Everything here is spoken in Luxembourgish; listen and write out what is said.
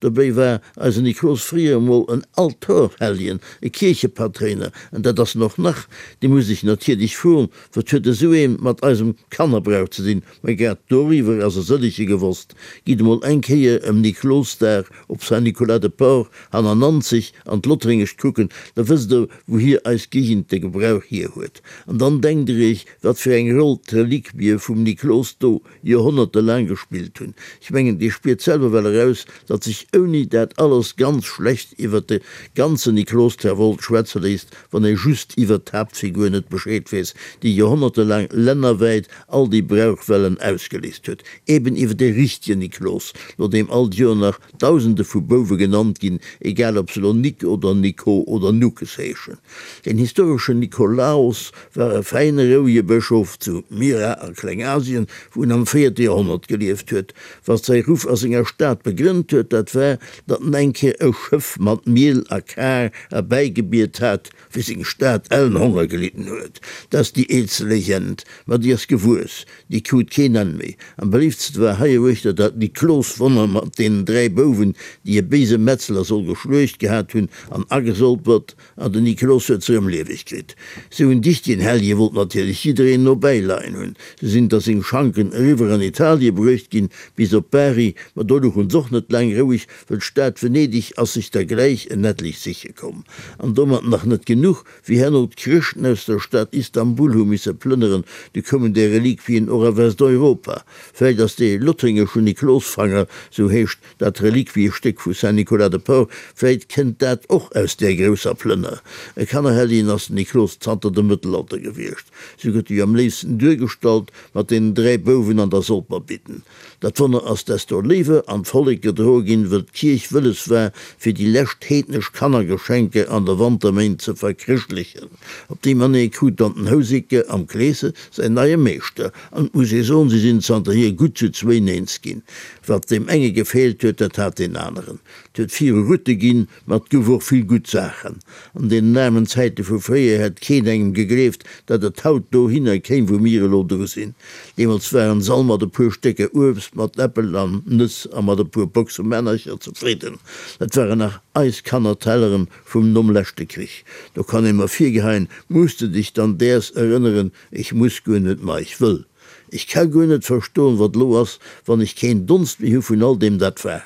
Dobéi war eisen Niklos fréier emol en Altorhelljen, e Kierchepatréiner, an dat ass en och nach. Dir musst iech natierlech froen, Wat huet esou een mat eisem Kannerbrauch ze dinn? Mä grad doriwwer ass e sëllege gewosst. Gitt emol eng Kéier ëm Niklosdag op Saint-Nicolas-de-Port hanner Nanzeg an d'Lottréngescht kucken, da wësst der, wouhier eis Géigend de Gebrauch hier huet. An dann denkt der iech, wat fir eng Roll d'Reliquie vum Niklos do Joerhonnerte laang gespillt hunn. Ech mengen, Dir spiert selwer well eraus, datt sech ouni dat alles ganz schlecht iwwert de ganzen Niklos Terwolt schwätze léisst, wann ee just iwwert d'Haaptfigur net Bescheed weess, déi joerhonnertelaang lännerwäit all déi Brauchwellen ausgeléist huet. Eben iwwer dee richtegen Niklos, no deem all d'Joer nach Dausende vu Bouwe genannt ginn, egal ob se elo Nik oder Nico oder Nukes heeschen. Den historeschen Nikolaos war e fäine rouege Bëschof zu Myra a Klengasien, wou en am véierte Joerhonnert gelieft huet. Wat säi Ruff a senger Stad begrënnt huet, dat war, datt en eng Kéier e Schëff mat Miel a Kar erbäigebiet hat, wéi seng Stad ellen Honger gelidden huet. Dat ass déi eelste Legend, ma déi ass gewuess, déi krut keen Enn méi. Am beléiftste war heieruechter dat Nikloswonner mat deenen 3 Bouwen, déi e béise Metzler soll geschluecht gehat hunn an agesolpert, an den Niklos huet se erëm lieweg kritt. Sou en dichtegen Hellje wollt natierlech jiddereen no bäileien hunn. Se sinn da seng Schanken eriwwer an Italie bruecht ginn, bis op Bari, ma do louchen s'och net laang roueg, Well d'Stad Venedeg ass sech der gläich en etlech siche komm. An domat nach net genuch, wéi herno d'Chrëschten aus der Stad Istanbul hu misse plënneren, du koumen déi Reliquien och a Westeuropa. Vläicht ass dee lothringeschen Niklosfanger, sou heescht dat Reliquiestéck vu Saint-Nicolas-de-Port, vläicht kënnt dat och aus där grousser Plënner. E Kannerhelljen ass den Niklos zanter dem Mëttelalter gewiescht. Sou gëtt e jo am léifsten duergestallt, mat deenen 3 Bouwen an der Solperbidden. Dat Wonner ass desto léiwer an d'Vollek gedroe ginn, wëll d'Kierch wëlles war, fir déi lescht heednesch Kannergeschenke an de Wanterméint ze verchrëschtlechen. Op déi Manéier krut dann den Houseker am Kleese säin neie Meeschter, an et muss ee soen, si sinn zanterhier gutt zu zwéin eens ginn. Wat deem enge gefeelt huet, dat hat deen aneren. Et huet viru Rutte ginn, Ma et gouf och vill gutt Saachen. An deenen aarmen Zäite vu fréier hätt keen engem gegleeft, datt et haut dohinner kéim, wou mir elo dru sinn. Deemools waren s'all mat e puer Stécker Uebst, mat Äppel an Nëss a mat e puer Boxe Männercher zefridden. Dat waren nach eis Kannertelleren vum nom leschte Krich. Do kann ee mer virgeheien, Muss de dech dann däers erënneren? Ech muss guer net, ma ech wëll. Ech ka guer net verstoen, wat elo ass, wann ech keen Donst méi hu vun all deem, dat war.